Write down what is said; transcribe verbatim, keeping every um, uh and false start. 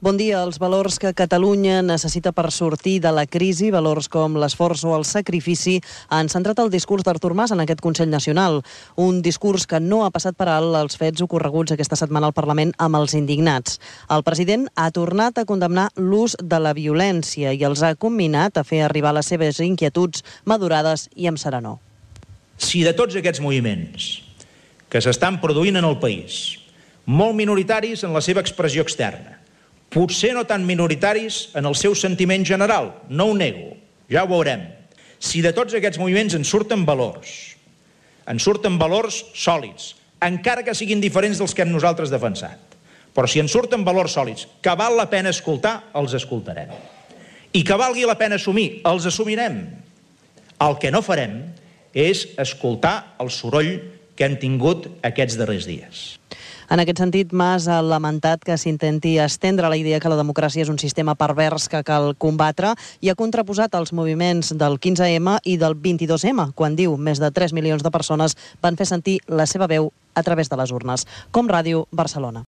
Bon dia. Els valors que Catalunya necessita per sortir de la crisi, valors com l'esforç o el sacrifici, han centrat el discurs d'Artur Mas en aquest Consell Nacional. Un discurs que no ha passat per alt els fets ocorreguts aquesta setmana al Parlament amb els indignats. El president ha tornat a condemnar l'ús de la violència i els ha comminat a fer arribar les seves inquietuds madurades i amb serenor. Si de tots aquests moviments que s'estan produint en el país, molt minoritaris en la seva expressió externa, potser no tan minoritaris en el seu sentiment general, no ho nego, ja ho veurem. Si de tots aquests moviments en surten valors, en surten valors sòlids, encara que siguin diferents dels que hem nosaltres defensat, però si en surten valors sòlids que val la pena escoltar, els escoltarem. I que valgui la pena assumir, els assumirem. El que no farem és escoltar el soroll que hem tingut aquests darrers dies. En aquest sentit, Mas ha lamentat que s'intenti estendre la idea que la democràcia és un sistema pervers que cal combatre i ha contraposat els moviments del quinze ema i del vint-i-dos ema, quan diu més de tres milions de persones van fer sentir la seva veu a través de les urnes. Com Ràdio, Barcelona.